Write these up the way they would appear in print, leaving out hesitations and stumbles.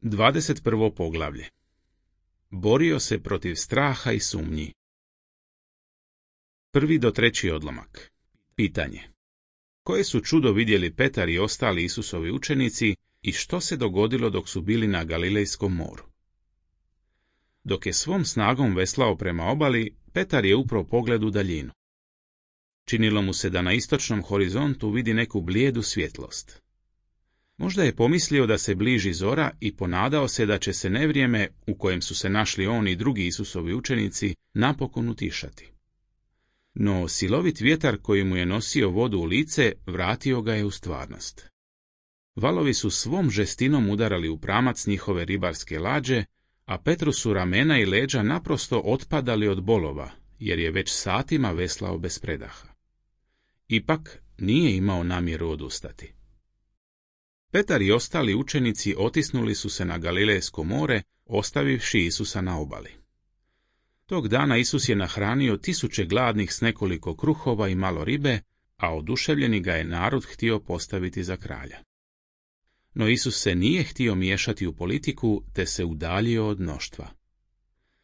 21. poglavlje. Borio se protiv straha i sumnji. 1. do 3. odlomak. Pitanje. Koje su čudo vidjeli Petar i ostali Isusovi učenici i što se dogodilo dok su bili na Galilejskom moru? Dok je svom snagom veslao prema obali, Petar je uprao pogled u daljinu. Činilo mu se da na istočnom horizontu vidi neku blijedu svjetlost. Možda je pomislio da se bliži zora i ponadao se da će se nevrijeme, u kojem su se našli on i drugi Isusovi učenici, napokon utišati. No silovit vjetar koji mu je nosio vodu u lice vratio ga je u stvarnost. Valovi su svom žestinom udarali u pramac njihove ribarske lađe, a Petru su ramena i leđa naprosto otpadali od bolova, jer je već satima veslao bez predaha. Ipak nije imao namjeru odustati. Petar i ostali učenici otisnuli su se na Galilejsko more, ostavivši Isusa na obali. Tog dana Isus je nahranio 1000 gladnih s nekoliko kruhova i malo ribe, a oduševljeni ga je narod htio postaviti za kralja. No Isus se nije htio miješati u politiku, te se udaljio od mnoštva.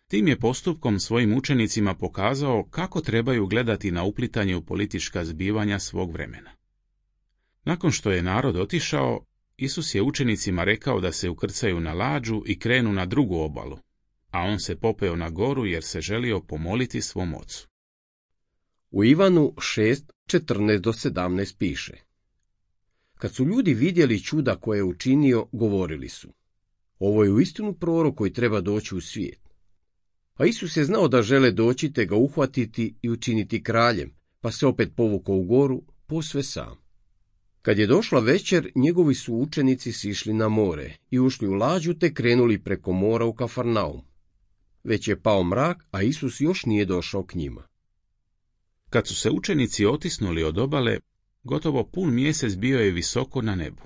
Tim je postupkom svojim učenicima pokazao kako trebaju gledati na uplitanje u politička zbivanja svog vremena. Nakon što je narod otišao, Isus je učenicima rekao da se ukrcaju na lađu i krenu na drugu obalu, a on se popeo na goru jer se želio pomoliti svom ocu. U Ivanu 6:14-17 piše: Kad su ljudi vidjeli čuda koje je učinio, govorili su: ovo je uistinu prorok koji treba doći u svijet. A Isus je znao da žele doći te ga uhvatiti i učiniti kraljem, pa se opet povukao u goru, posve sam. Kad je došla večer, njegovi su učenici sišli na more i ušli u lađu te krenuli preko mora u Kafarnaum. Već je pao mrak, a Isus još nije došao k njima. Kad su se učenici otisnuli od obale, gotovo pun mjesec bio je visoko na nebu.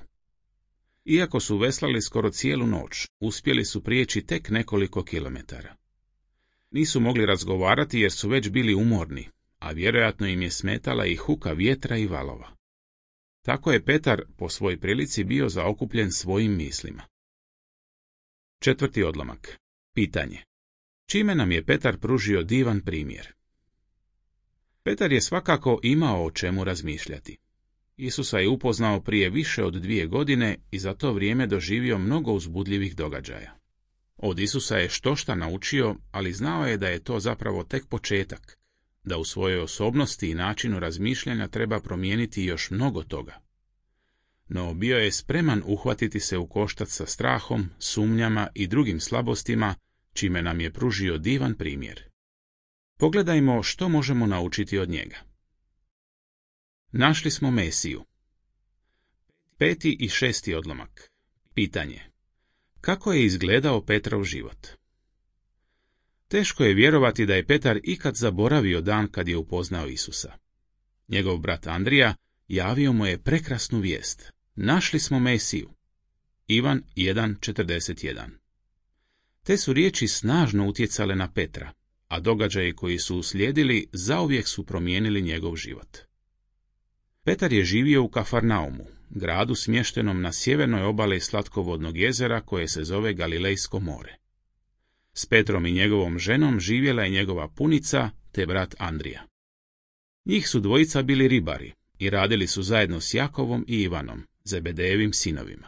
Iako su veslali skoro cijelu noć, uspjeli su prijeći tek nekoliko kilometara. Nisu mogli razgovarati jer su već bili umorni, a vjerojatno im je smetala i huka vjetra i valova. Tako je Petar po svoj prilici bio zaokupljen svojim mislima. 4. odlomak. Pitanje. Čime nam je Petar pružio divan primjer? Petar je svakako imao o čemu razmišljati. Isusa je upoznao prije više od 2 godine i za to vrijeme doživio mnogo uzbudljivih događaja. Od Isusa je štošta naučio, ali znao je da je to zapravo tek početak, da u svojoj osobnosti i načinu razmišljanja treba promijeniti još mnogo toga. No bio je spreman uhvatiti se u koštac sa strahom, sumnjama i drugim slabostima, čime nam je pružio divan primjer. Pogledajmo što možemo naučiti od njega. Našli smo Mesiju. 5. i 6. odlomak. Pitanje. Kako je izgledao Petrov život? Teško je vjerovati da je Petar ikad zaboravio dan kad je upoznao Isusa. Njegov brat Andrija javio mu je prekrasnu vijest. Našli smo Mesiju. Ivan 1:41. Te su riječi snažno utjecale na Petra, a događaji koji su uslijedili zauvijek su promijenili njegov život. Petar je živio u Kafarnaumu, gradu smještenom na sjevernoj obali slatkovodnog jezera koje se zove Galilejsko more. S Petrom i njegovom ženom živjela je njegova punica te brat Andrija. Njih su dvojica bili ribari i radili su zajedno s Jakovom i Ivanom, Zebedejevim sinovima.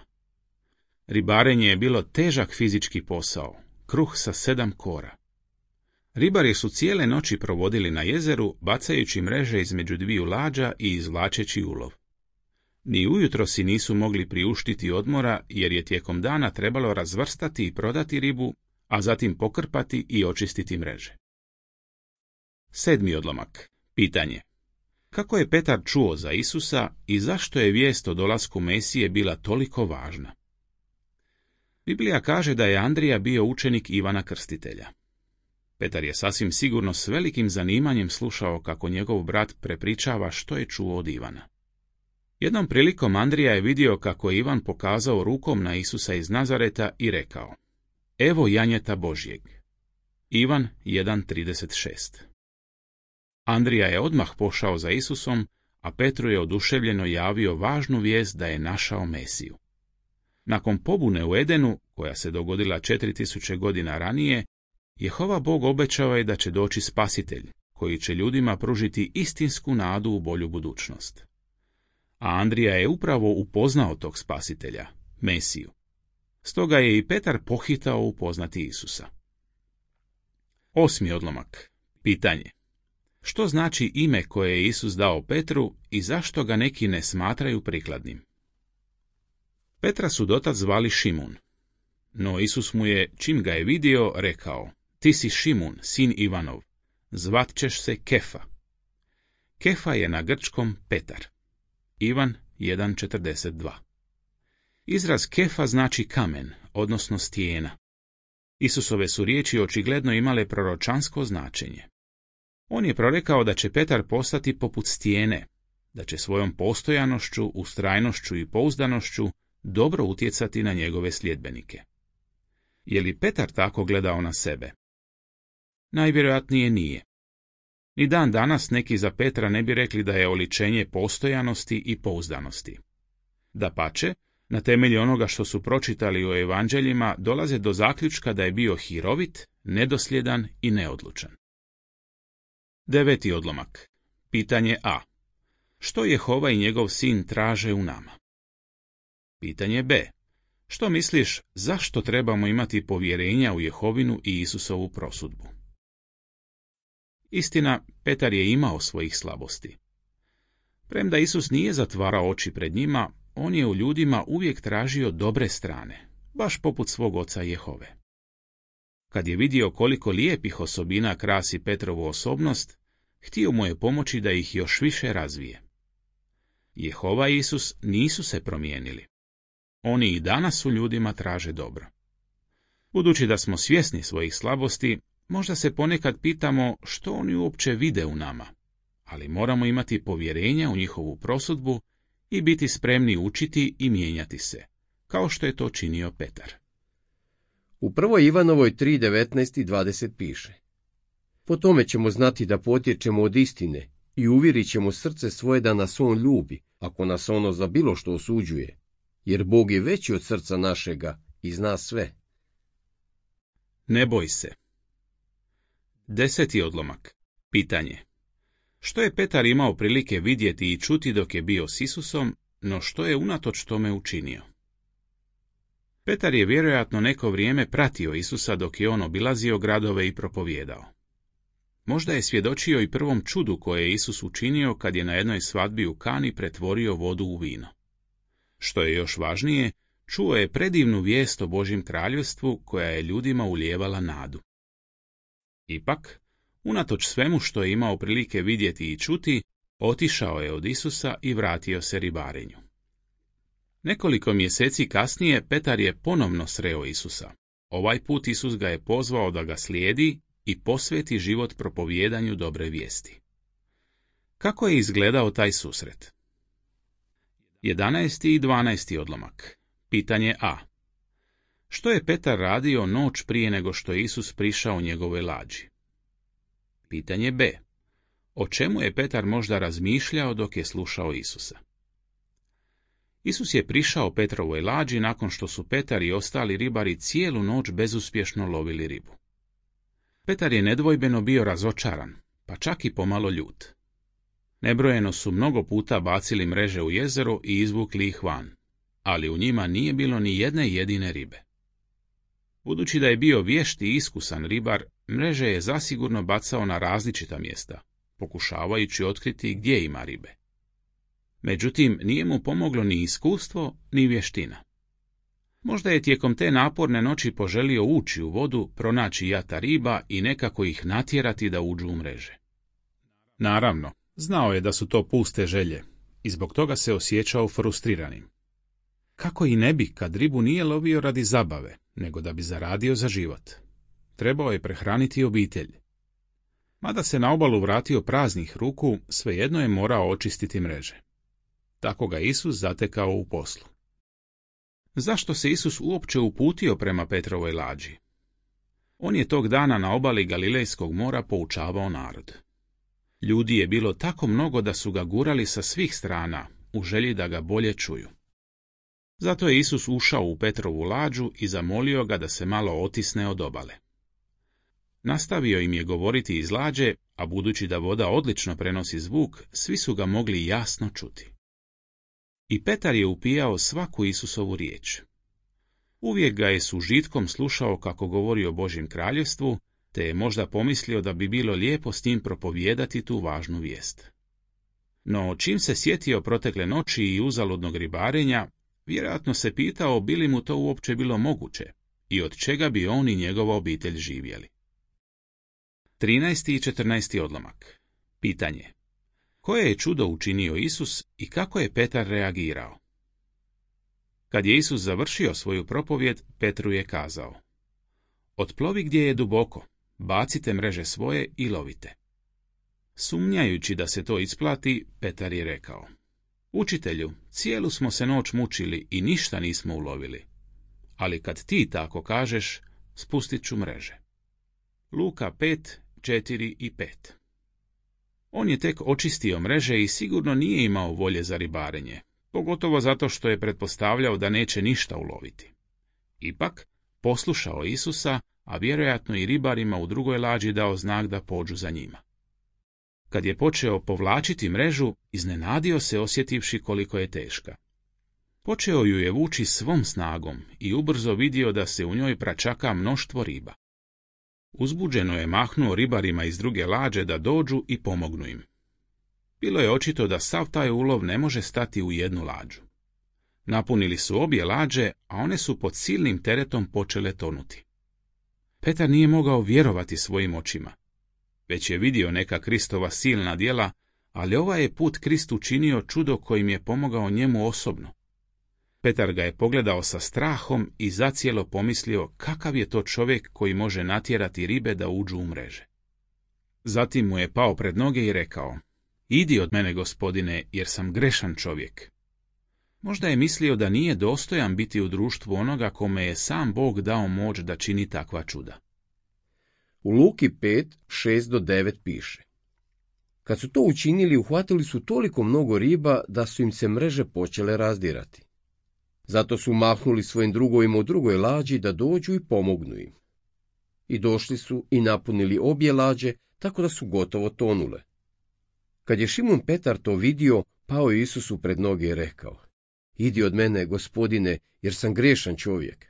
Ribarenje je bilo težak fizički posao, kruh sa 7 kora. Ribari su cijele noći provodili na jezeru, bacajući mreže između 2 lađa i izvlačeći ulov. Ni ujutro si nisu mogli priuštiti odmora, jer je tijekom dana trebalo razvrstati i prodati ribu, a zatim pokrpati i očistiti mreže. 7. odlomak. Pitanje. Kako je Petar čuo za Isusa i zašto je vijest o dolasku Mesije bila toliko važna? Biblija kaže da je Andrija bio učenik Ivana Krstitelja. Petar je sasvim sigurno s velikim zanimanjem slušao kako njegov brat prepričava što je čuo od Ivana. Jednom prilikom Andrija je vidio kako je Ivan pokazao rukom na Isusa iz Nazareta i rekao: Evo janjeta Božjeg. Ivan 1:36. Andrija je odmah pošao za Isusom, a Petru je oduševljeno javio važnu vijest da je našao Mesiju. Nakon pobune u Edenu, koja se dogodila 4000 godina ranije, Jehova Bog obećao je da će doći spasitelj, koji će ljudima pružiti istinsku nadu u bolju budućnost. A Andrija je upravo upoznao tog spasitelja, Mesiju. Stoga je i Petar pohitao upoznati Isusa. 8. odlomak. Pitanje. Što znači ime koje je Isus dao Petru i zašto ga neki ne smatraju prikladnim? Petra su dotad zvali Šimun, no Isus mu je, čim ga je vidio, rekao: Ti si Šimun, sin Ivanov, zvat ćeš se Kefa. Kefa je na grčkom Petar. Ivan 1.42. Izraz Kefa znači kamen, odnosno stijena. Isusove su riječi očigledno imale proročansko značenje. On je prorekao da će Petar postati poput stijene, da će svojom postojanošću, ustrajnošću i pouzdanošću dobro utjecati na njegove sljedbenike. Je li Petar tako gledao na sebe? Najvjerojatnije nije. Ni dan danas neki za Petra ne bi rekli da je oličenje postojanosti i pouzdanosti. Dapače, na temelju onoga što su pročitali u evanđeljima, dolaze do zaključka da je bio hirovit, nedosljedan i neodlučan. 9. odlomak. Pitanje A. Što Jehova i njegov sin traže u nama? Pitanje B. Što misliš, zašto trebamo imati povjerenja u Jehovinu i Isusovu prosudbu? Istina, Petar je imao svojih slabosti. Premda Isus nije zatvarao oči pred njima, on je u ljudima uvijek tražio dobre strane, baš poput svog oca Jehove. Kad je vidio koliko lijepih osobina krasi Petrovu osobnost, htio mu je pomoći da ih još više razvije. Jehova i Isus nisu se promijenili. Oni i danas u ljudima traže dobro. Budući da smo svjesni svojih slabosti, možda se ponekad pitamo što oni uopće vide u nama, ali moramo imati povjerenja u njihovu prosudbu i biti spremni učiti i mijenjati se, kao što je to činio Petar. U 1. Ivanovoj 3.19 i 20 piše: Po tome ćemo znati da potječemo od istine i uvjerit ćemo srce svoje da nas on ljubi, ako nas ono za bilo što osuđuje, jer Bog je veći od srca našega i zna sve. Ne boj se. 10. odlomak. Pitanje. Što je Petar imao prilike vidjeti i čuti dok je bio s Isusom, no što je unatoč tome učinio? Petar je vjerojatno neko vrijeme pratio Isusa dok je on obilazio gradove i propovijedao. Možda je svjedočio i prvom čudu koje je Isus učinio kad je na jednoj svadbi u Kani pretvorio vodu u vino. Što je još važnije, čuo je predivnu vijest o Božjem kraljevstvu koja je ljudima ulijevala nadu. Ipak, unatoč svemu što je imao prilike vidjeti i čuti, otišao je od Isusa i vratio se ribarenju. Nekoliko mjeseci kasnije Petar je ponovno sreo Isusa. Ovaj put Isus ga je pozvao da ga slijedi i posveti život propovijedanju dobre vijesti. Kako je izgledao taj susret? 11. i 12. odlomak. Pitanje A. Što je Petar radio noć prije nego što je Isus prišao njegovoj lađi? Pitanje B. O čemu je Petar možda razmišljao dok je slušao Isusa? Isus je prišao Petrovoj lađi nakon što su Petar i ostali ribari cijelu noć bezuspješno lovili ribu. Petar je nedvojbeno bio razočaran, pa čak i pomalo ljut. Nebrojeno su mnogo puta bacili mreže u jezero i izvukli ih van, ali u njima nije bilo ni jedne jedine ribe. Budući da je bio vješt i iskusan ribar, mreže je zasigurno bacao na različita mjesta, pokušavajući otkriti gdje ima ribe. Međutim, nije mu pomoglo ni iskustvo, ni vještina. Možda je tijekom te naporne noći poželio ući u vodu, pronaći jata riba i nekako ih natjerati da uđu u mreže. Naravno, znao je da su to puste želje i zbog toga se osjećao frustriranim. Kako i ne bi kad ribu nije lovio radi zabave, nego da bi zaradio za život. Trebao je prehraniti obitelj. Mada se na obalu vratio praznih ruku, svejedno je morao očistiti mreže. Tako ga Isus zatekao u poslu. Zašto se Isus uopće uputio prema Petrovoj lađi? On je tog dana na obali Galilejskog mora poučavao narod. Ljudi je bilo tako mnogo da su ga gurali sa svih strana, u želji da ga bolje čuju. Zato je Isus ušao u Petrovu lađu i zamolio ga da se malo otisne od obale. Nastavio im je govoriti iz lađe, a budući da voda odlično prenosi zvuk, svi su ga mogli jasno čuti. I Petar je upijao svaku Isusovu riječ. Uvijek ga je s užitkom slušao kako govori o Božjem kraljevstvu, te je možda pomislio da bi bilo lijepo s njim propovijedati tu važnu vijest. No, čim se sjetio protekle noći i uzaludnog ribarenja, vjerojatno se pitao bi li mu to uopće bilo moguće i od čega bi on i njegova obitelj živjeli. 13. i 14. odlomak. Pitanje. Koje je čudo učinio Isus i kako je Petar reagirao? Kad je Isus završio svoju propovjed, Petru je kazao: Otplovi gdje je duboko, bacite mreže svoje i lovite. Sumnjajući da se to isplati, Petar je rekao: Učitelju, cijelu smo se noć mučili i ništa nismo ulovili. Ali kad ti tako kažeš, spustit ću mreže. Luka 5, 4 i 5. On je tek očistio mreže i sigurno nije imao volje za ribarenje, pogotovo zato što je pretpostavljao da neće ništa uloviti. Ipak, poslušao Isusa, a vjerojatno i ribarima u drugoj lađi dao znak da pođu za njima. Kad je počeo povlačiti mrežu, iznenadio se osjetivši koliko je teška. Počeo ju je vući svom snagom i ubrzo vidio da se u njoj pračaka mnoštvo riba. Uzbuđeno je mahnuo ribarima iz druge lađe da dođu i pomognu im. Bilo je očito da sav taj ulov ne može stati u jednu lađu. Napunili su obje lađe, a one su pod silnim teretom počele tonuti. Petar nije mogao vjerovati svojim očima. Već je vidio neka Kristova silna djela, ali ovaj je put Krist učinio čudo kojim je pomogao njemu osobno. Petar ga je pogledao sa strahom i zacijelo pomislio kakav je to čovjek koji može natjerati ribe da uđu u mreže. Zatim mu je pao pred noge i rekao: Idi od mene, Gospodine, jer sam grešan čovjek. Možda je mislio da nije dostojan biti u društvu onoga kome je sam Bog dao moć da čini takva čuda. U Luki 5, 6-9 piše: Kad su to učinili, uhvatili su toliko mnogo riba da su im se mreže počele razdirati. Zato su mahnuli svojim drugovima u drugoj lađi da dođu i pomognu im. I došli su i napunili obje lađe, tako da su gotovo tonule. Kad je Šimun Petar to vidio, pao je Isusu pred noge i rekao: Idi od mene, Gospodine, jer sam grešan čovjek.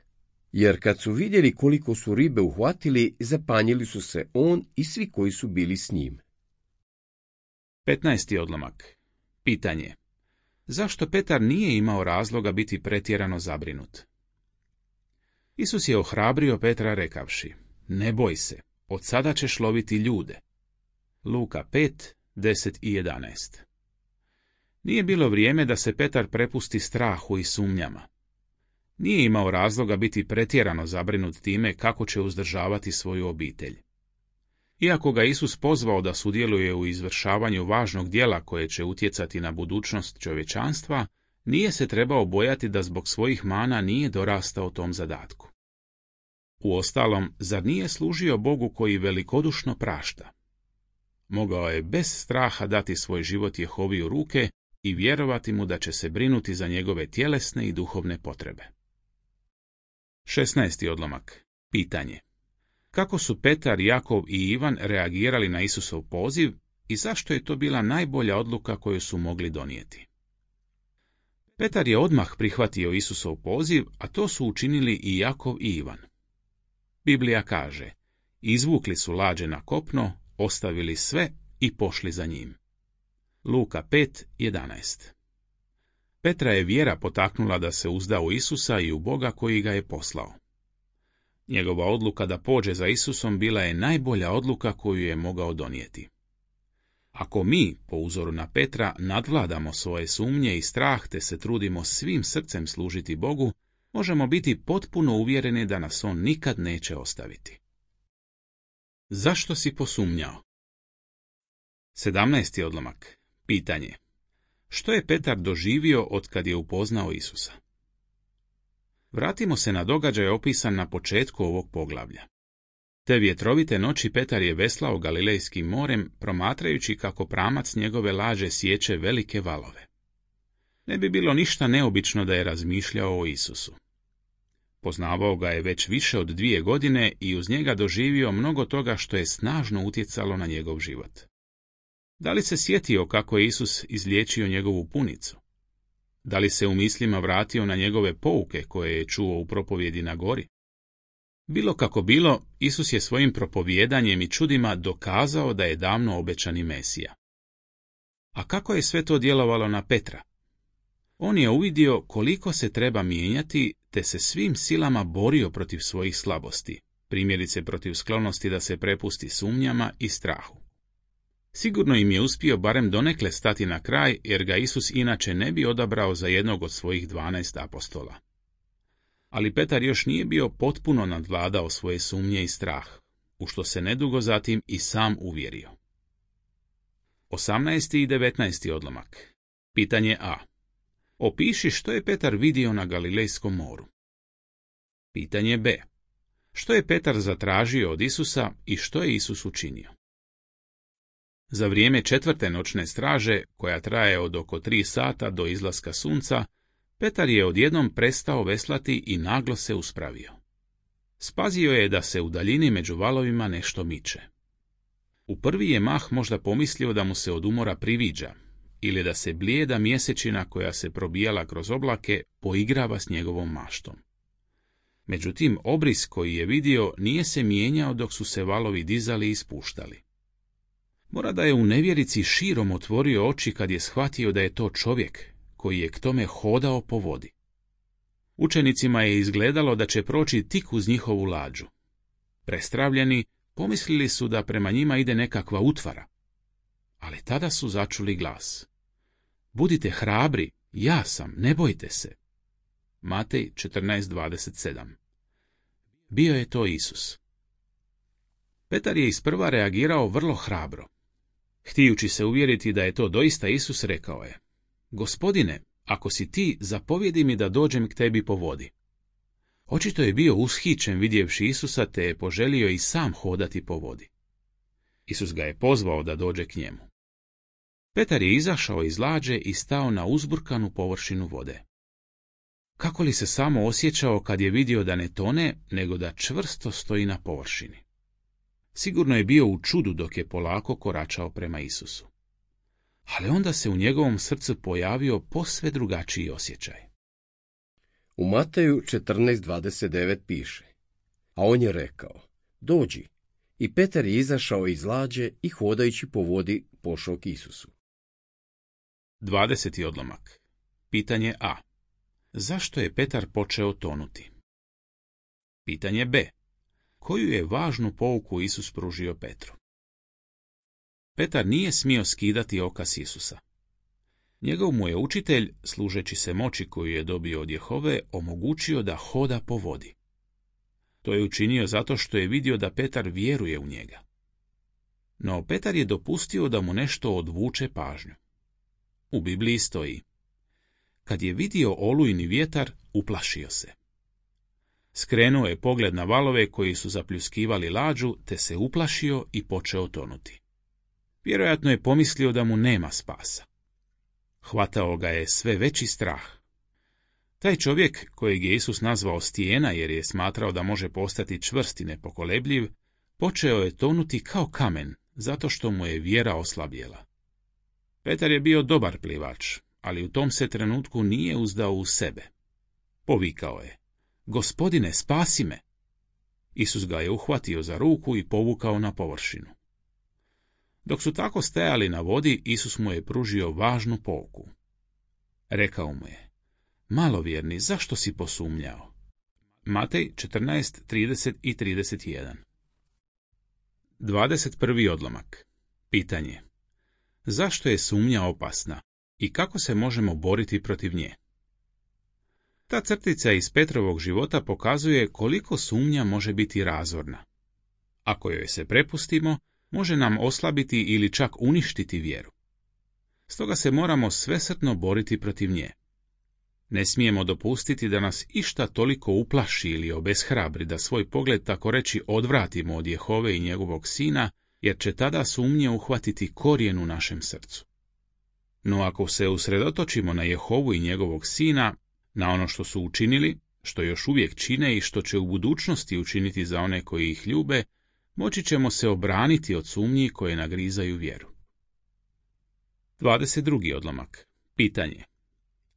Jer kad su vidjeli koliko su ribe uhvatili, zapanjili su se on i svi koji su bili s njim. 15. odlomak. Pitanje. Zašto Petar nije imao razloga biti pretjerano zabrinut? Isus je ohrabrio Petra rekavši: Ne boj se, od sada ćeš loviti ljude. Luka 5, 10 i 11. Nije bilo vrijeme da se Petar prepusti strahu i sumnjama. Nije imao razloga biti pretjerano zabrinut time kako će uzdržavati svoju obitelj. Iako ga Isus pozvao da sudjeluje u izvršavanju važnog djela koje će utjecati na budućnost čovječanstva, nije se trebao bojati da zbog svojih mana nije dorastao tom zadatku. Uostalom, zar nije služio Bogu koji velikodušno prašta? Mogao je bez straha dati svoj život Jehovi u ruke i vjerovati mu da će se brinuti za njegove tjelesne i duhovne potrebe. 16. odlomak. Pitanje. Kako su Petar, Jakov i Ivan reagirali na Isusov poziv i zašto je to bila najbolja odluka koju su mogli donijeti? Petar je odmah prihvatio Isusov poziv, a to su učinili i Jakov i Ivan. Biblija kaže: Izvukli su lađe na kopno, ostavili sve i pošli za njim. Luka 5, 11. Petra je vjera potaknula da se uzda u Isusa i u Boga koji ga je poslao. Njegova odluka da pođe za Isusom bila je najbolja odluka koju je mogao donijeti. Ako mi, po uzoru na Petra, nadvladamo svoje sumnje i strah te se trudimo svim srcem služiti Bogu, možemo biti potpuno uvjereni da nas on nikad neće ostaviti. Zašto si posumnjao? 17. odlomak. Pitanje. Što je Petar doživio otkad je upoznao Isusa? Vratimo se na događaj opisan na početku ovog poglavlja. Te vjetrovite noći Petar je veslao Galilejskim morem, promatrajući kako pramac njegove lađe sječe velike valove. Ne bi bilo ništa neobično da je razmišljao o Isusu. Poznavao ga je već više od 2 godine i uz njega doživio mnogo toga što je snažno utjecalo na njegov život. Da li se sjetio kako je Isus izliječio njegovu punicu? Da li se u mislima vratio na njegove pouke koje je čuo u propovjedi na gori? Bilo kako bilo, Isus je svojim propovijedanjem i čudima dokazao da je davno obećani Mesija. A kako je sve to djelovalo na Petra? On je uvidio koliko se treba mijenjati, te se svim silama borio protiv svojih slabosti, primjerice protiv sklonosti da se prepusti sumnjama i strahu. Sigurno im je uspio barem donekle stati na kraj, jer ga Isus inače ne bi odabrao za jednog od svojih 12 apostola. Ali Petar još nije bio potpuno nadvladao svoje sumnje i strah, u što se nedugo zatim i sam uvjerio. 18. i 19. odlomak. Pitanje A. Opiši što je Petar vidio na Galilejskom moru. Pitanje B. Što je Petar zatražio od Isusa i što je Isus učinio? Za vrijeme 4. noćne straže, koja traje od oko 3 sata do izlaska sunca, Petar je odjednom prestao veslati i naglo se uspravio. Spazio je da se u daljini među valovima nešto miče. U prvi je mah možda pomislio da mu se od umora priviđa, ili da se blijeda mjesečina koja se probijala kroz oblake poigrava s njegovom maštom. Međutim, obris koji je vidio nije se mijenjao dok su se valovi dizali i spuštali. Mora da je u nevjerici širom otvorio oči kad je shvatio da je to čovjek koji je k tome hodao po vodi. Učenicima je izgledalo da će proći tik uz njihovu lađu. Prestravljeni, pomislili su da prema njima ide nekakva utvara. Ali tada su začuli glas. Budite hrabri, ja sam, ne bojte se. Matej 14:27. Bio je to Isus. Petar je isprva reagirao vrlo hrabro. Htijući se uvjeriti da je to doista Isus, rekao je: Gospodine, ako si ti, zapovjedi mi da dođem k tebi po vodi. Očito je bio ushićen vidjevši Isusa, te je poželio i sam hodati po vodi. Isus ga je pozvao da dođe k njemu. Petar je izašao iz lađe i stao na uzburkanu površinu vode. Kako li se samo osjećao kad je vidio da ne tone, nego da čvrsto stoji na površini. Sigurno je bio u čudu dok je polako koračao prema Isusu. Ali onda se u njegovom srcu pojavio posve drugačiji osjećaj. U Mateju 14:29 piše: A on je rekao: Dođi. I Petar je izašao iz lađe i hodajući po vodi pošao k Isusu. 20. odlomak. Pitanje A. Zašto je Petar počeo tonuti? Pitanje B. Koju je važnu pouku Isus pružio Petru? Petar nije smio skidati oka s Isusa. Njegov mu je učitelj, služeći se moći koju je dobio od Jehove, omogućio da hoda po vodi. To je učinio zato što je vidio da Petar vjeruje u njega. No Petar je dopustio da mu nešto odvuče pažnju. U Bibliji stoji: Kad je vidio olujni vjetar, uplašio se. Skrenuo je pogled na valove koji su zapljuskivali lađu, te se uplašio i počeo tonuti. Vjerojatno je pomislio da mu nema spasa. Hvatao ga je sve veći strah. Taj čovjek, kojeg je Isus nazvao stijena jer je smatrao da može postati čvrst i nepokolebljiv, počeo je tonuti kao kamen, zato što mu je vjera oslabjela. Petar je bio dobar plivač, ali u tom se trenutku nije uzdao u sebe. Povikao je: Gospodine, spasi me! Isus ga je uhvatio za ruku i povukao na površinu. Dok su tako stajali na vodi, Isus mu je pružio važnu pouku. Rekao mu je: Malovjerni, zašto si posumnjao? Matej 14:30 i 31. 21. odlomak. Pitanje. Zašto je sumnja opasna i kako se možemo boriti protiv nje? Ta crtica iz Petrovog života pokazuje koliko sumnja može biti razorna. Ako joj se prepustimo, može nam oslabiti ili čak uništiti vjeru. Stoga se moramo svesrdno boriti protiv nje. Ne smijemo dopustiti da nas išta toliko uplaši ili obeshrabri da svoj pogled tako reći odvratimo od Jehove i njegovog sina, jer će tada sumnje uhvatiti korijen u našem srcu. No ako se usredotočimo na Jehovu i njegovog sina, na ono što su učinili, što još uvijek čine i što će u budućnosti učiniti za one koji ih ljube, moći ćemo se obraniti od sumnji koje nagrizaju vjeru. 22. odlomak. Pitanje.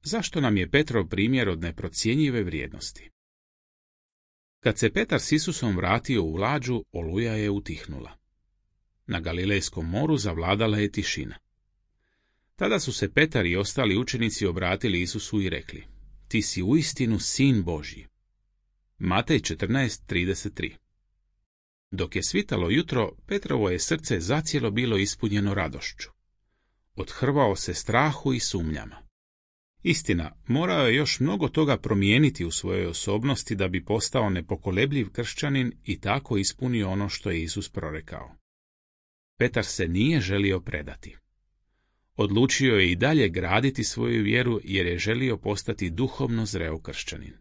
Zašto nam je Petrov primjer od neprocjenjive vrijednosti? Kad se Petar s Isusom vratio u lađu, oluja je utihnula. Na Galilejskom moru zavladala je tišina. Tada su se Petar i ostali učenici obratili Isusu i rekli: Ti si uistinu sin Božji. Matej 14:33. Dok je svitalo jutro, Petrovo je srce zacijelo bilo ispunjeno radošću. Odhrvao se strahu i sumnjama. Istina, morao je još mnogo toga promijeniti u svojoj osobnosti da bi postao nepokolebljiv kršćanin i tako ispunio ono što je Isus prorekao. Petar se nije želio predati. Odlučio je i dalje graditi svoju vjeru jer je želio postati duhovno zreo kršćanin.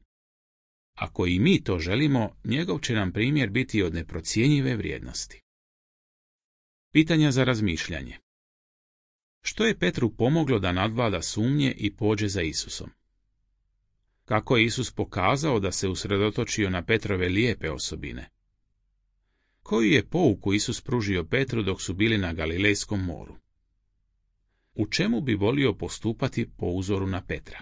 Ako i mi to želimo, njegov će nam primjer biti od neprocjenjive vrijednosti. Pitanja za razmišljanje. Što je Petru pomoglo da nadvlada sumnje i pođe za Isusom? Kako je Isus pokazao da se usredotočio na Petrove lijepe osobine? Koju je pouku Isus pružio Petru dok su bili na Galilejskom moru? U čemu bi volio postupati po uzoru na Petra?